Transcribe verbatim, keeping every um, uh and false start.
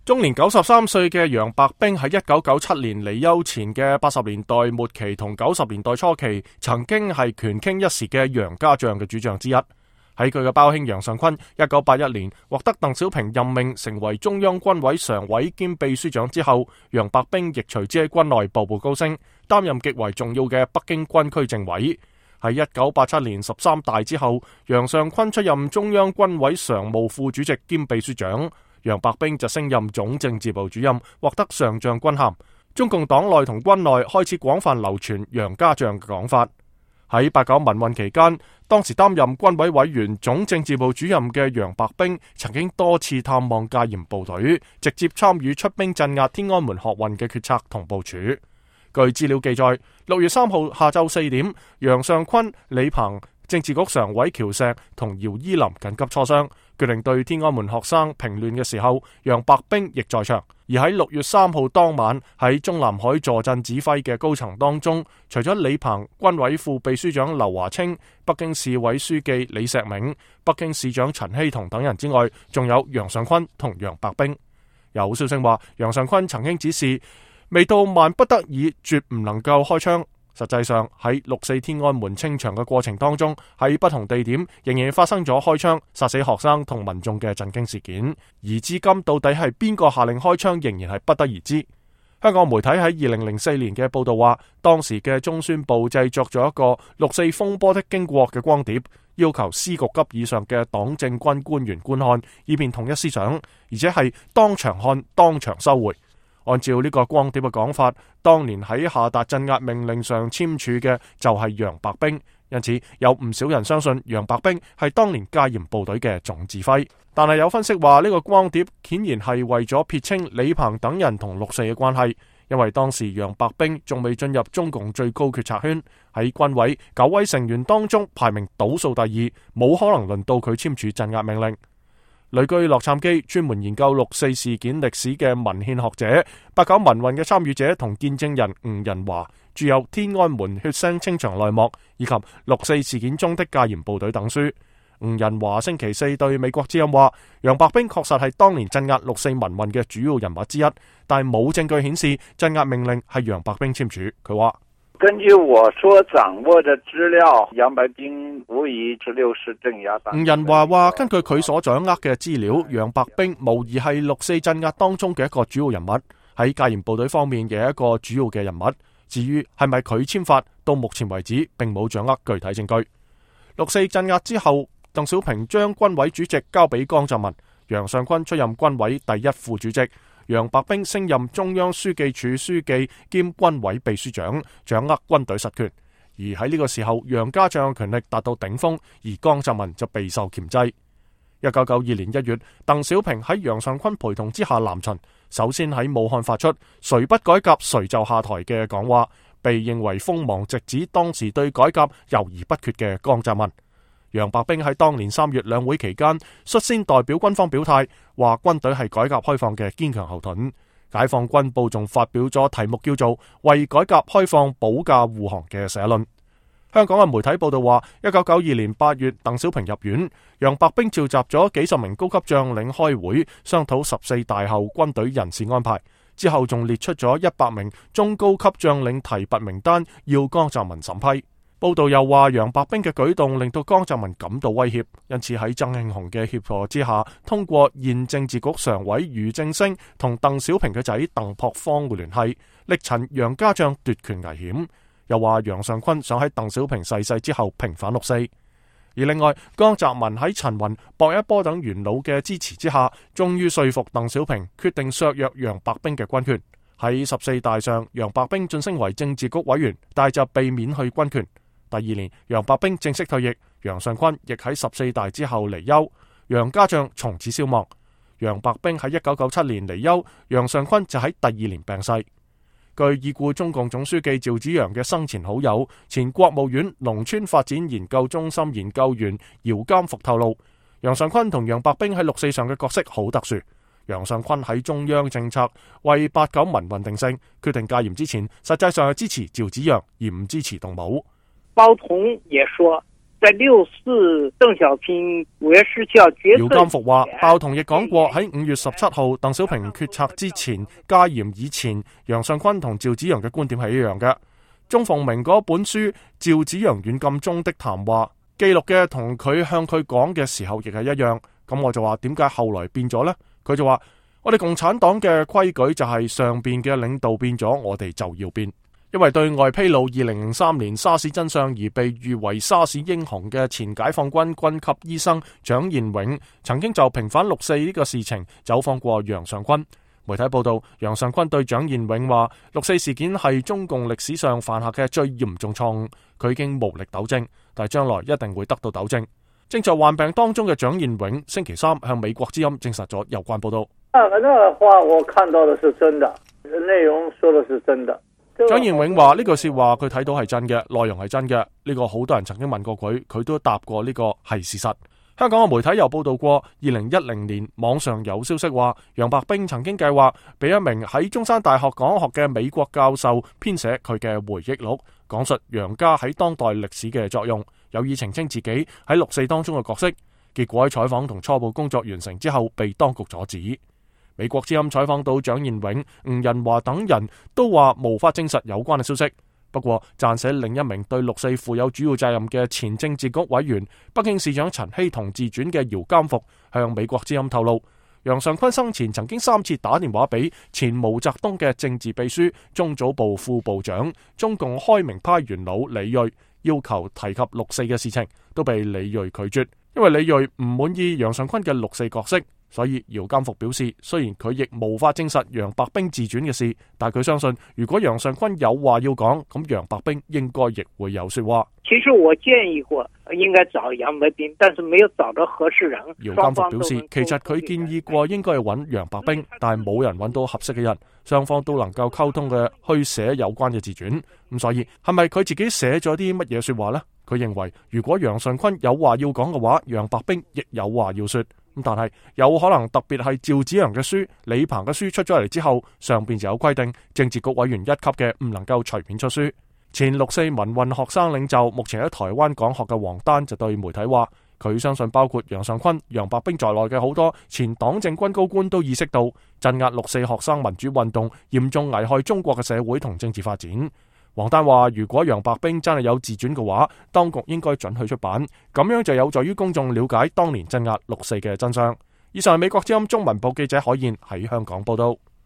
終年九十三歲嘅楊白冰喺一九九七年離休前嘅八十年代末期同九十年代初期，曾經係權傾一時嘅楊家將嘅主將之一。喺佢嘅胞兄楊尚昆一九八一年獲得鄧小平任命成為中央軍委常委兼秘書長之後，楊白冰亦隨之喺軍內步步高升，擔任極為重要嘅北京軍區政委。喺一九八七年十三大之後，楊尚昆出任中央軍委常務副主席兼秘書長。楊白冰就升任總政治部主任，獲得上將軍銜。中共黨內同軍內開始廣泛流傳楊家將嘅講法。喺八九民運期間，當時擔任軍委委員、總政治部主任嘅楊白冰曾經多次探望戒嚴部隊，直接參與出兵鎮壓天安門學運嘅決策同部署。據資料記載，六月三號下晝四點，楊尚昆、李鵬、政治局常委喬石同姚依林緊急磋商，決定對天安門學生平亂嘅時候，楊白冰亦在場。而喺六月三號當晚，喺中南海坐鎮指揮嘅高層當中，除咗李鵬、軍委副秘書長劉華清、北京市委書記李石銘、北京市長陳希同等人之外，仲有楊尚昆同楊白冰。有消息話，楊尚昆曾經指示，未到萬不得已，絕唔能夠開槍。實際上喺六四天安門清場嘅過程當中，喺不同地點仍然發生咗開槍殺死學生同民眾嘅震驚事件，而至今到底係邊個下令開槍，仍然係不得而知。香港媒體喺二零零四年嘅報道話，當時嘅中宣部製作咗一個六四風波的經過嘅光碟，要求司局級以上嘅黨政軍官員觀看，以便統一思想，而且係當場看當場收回。按照呢個光碟嘅講法，當年喺下達鎮壓命令上簽署嘅就係楊白冰，因此有唔少人相信楊白冰係當年戒嚴部隊嘅總指揮。但係有分析話，呢個光碟顯然係為咗撇清李鵬等人同六四嘅關係，因為當時楊白冰仲未進入中共最高決策圈，喺軍委九位成員當中排名倒數第二，冇可能輪到佢簽署鎮壓命令。旅居洛杉磯，專門研究六四事件歷史嘅文獻學者、八九民運嘅參與者同見證人吳仁華，著有《天安門血腥清場內幕》以及《六四事件中的戒嚴部隊》等書。吳仁華星期四對美國之音話，楊白冰確實係當年鎮壓六四民運嘅主要人物之一，但係冇證據顯示鎮壓命令係楊白冰簽署。佢話，根據我所掌握的資料，楊白冰無疑是六四鎮壓黨。吳仁華話，根據佢所掌握嘅資料，楊白冰無疑係六四鎮壓當中嘅一個主要人物，喺戒嚴部隊方面嘅一個主要嘅人物。至於係咪佢簽發，到目前為止並冇掌握具體證據。六四鎮壓之後，鄧小平將軍委主席交俾江澤民，楊尚昆出任軍委第一副主席。楊白冰升任中央書記處書記兼軍委秘書長，掌握軍隊實權。而喺呢個時候，楊家將權力達到頂峰，而江澤民就備受鉗制。一九九二年一月，鄧小平喺楊尚昆陪同之下南巡，首先喺武漢發出誰不改革誰就下台嘅講話，被認為鋒芒直指當時對改革猶豫不決嘅江澤民。楊白冰喺當年三月兩會期間率先代表軍方表態，話軍隊係改革開放嘅堅強後盾。解放軍報仲發表咗題目叫做《為改革開放保駕護航》嘅社論。香港嘅媒體報道話，一九九二年八月，鄧小平入院，楊白冰召集咗幾十名高級將領開會，商討十四大後軍隊人事安排。之後仲列出咗一百名中高級將領提拔名單，要江澤民審批。報道又話，楊白冰嘅舉動令到江澤民感到威脅，因此喺曾慶紅嘅協助之下，通過現政治局常委俞正聲同鄧小平嘅仔鄧樸方嘅聯繫，力陳楊家將奪權危險。又話楊尚昆想喺鄧小平逝世之後平反六四。而另外，江澤民喺陳雲、薄一波等元老嘅支持之下，終於說服鄧小平決定削弱楊白冰嘅軍權。喺十四大上，楊白冰晉升為政治局委員，但就被免去軍權。第二年，楊白冰正式退役，楊尚昆亦喺十四大之後離休，楊家將從此消亡。楊白冰喺一九九七年離休，楊尚昆就喺第二年病逝。據已故中共總書記趙紫陽嘅生前好友、前國務院農村發展研究中心研究員姚監復透露，楊尚昆同楊白冰喺六四上嘅角色好特殊。楊尚昆喺中央政策為八九民運定性，決定戒嚴之前，實際上係支持趙紫陽而唔支持動武。包同也說，在六四鄧小平五月十七號決策，姚監復話，鮑彤亦講過喺五月十七號鄧小平決策之前戒嚴以前，楊尚昆同趙紫陽嘅觀點係一樣嘅。鍾鳳鳴嗰本書《趙紫陽軟禁中的談話》記錄嘅同佢向佢講嘅時候亦係一樣。咁我就話點解後來變咗呢？佢就話我哋共產黨嘅規矩就係上邊嘅領導變咗，我哋就要變。因為對外披露二零零三年沙士真相而被譽為沙士英雄嘅前解放軍軍級醫生蔣彥永，曾經就平反六四呢個事情走訪過楊尚昆。媒體報道，楊尚昆對蔣彥永話：六四事件係中共歷史上犯下嘅最嚴重錯誤，佢已經無力糾正，但係將來一定會得到糾正。正在患病當中嘅蔣彥永星期三向美國之音證實咗有關報道。那個話我看到的是真的，內容說的是真的。蔣彥永話呢句說話佢睇到係真嘅，內容係真嘅。呢個好多人曾經問過佢，佢都答過呢個係事實。香港嘅媒體又報道過，二零一零年網上有消息話，楊白冰曾經計劃俾一名喺中山大學講學嘅美國教授編寫佢嘅回憶錄，講述楊家喺當代歷史嘅作用，有意澄清自己喺六四當中嘅角色。結果喺採訪同初步工作完成之後，被當局阻止。美國之音採訪到蔣彥永、吳仁華等人都話無法證實有關嘅消息。不過撰寫另一名對六四負有主要責任嘅前政治局委員、北京市長陳希同自傳嘅姚監復向美國之音透露，楊尚昆生前曾經三次打電話俾前毛澤東嘅政治秘書、中組部副部長、中共開明派元老李銳，要求提及六四嘅事情，都被李銳拒絕，因為李銳唔滿意楊尚昆嘅六四角色。所以姚監復表示，雖然佢亦無法證實楊白冰自傳嘅事，但佢相信如果楊尚昆有話要講，咁楊白冰應該亦會有說話。其實我建議過應該找楊白冰，但是沒有找到合適人。姚監復表示，其實佢建議過應該要揾楊白冰，但係冇人揾到合適嘅人，雙方都能夠溝通嘅去寫有關嘅自傳。咁所以係咪佢自己寫咗啲乜嘢說話呢？佢認為如果楊尚昆有話要講嘅話，楊白冰亦有話要說。咁但係有可能特別係趙紫陽嘅書、李鵬嘅書出咗嚟之後，上邊就有規定，政治局委員一級嘅唔能夠隨便出書。前六四民運學生領袖，目前喺台灣講學嘅黃丹就對媒體話，佢相信包括楊尚昆、楊白冰在內嘅好多前黨政軍高官都意識到鎮壓六四學生民主運動嚴重危害中國嘅社會同政治發展。黃丹話，如果楊白冰真係有自傳嘅話，當局應該准許出版，咁樣就有助於公眾了解當年鎮壓六四嘅真相。以上係美國之音中文部記者海燕喺香港報道。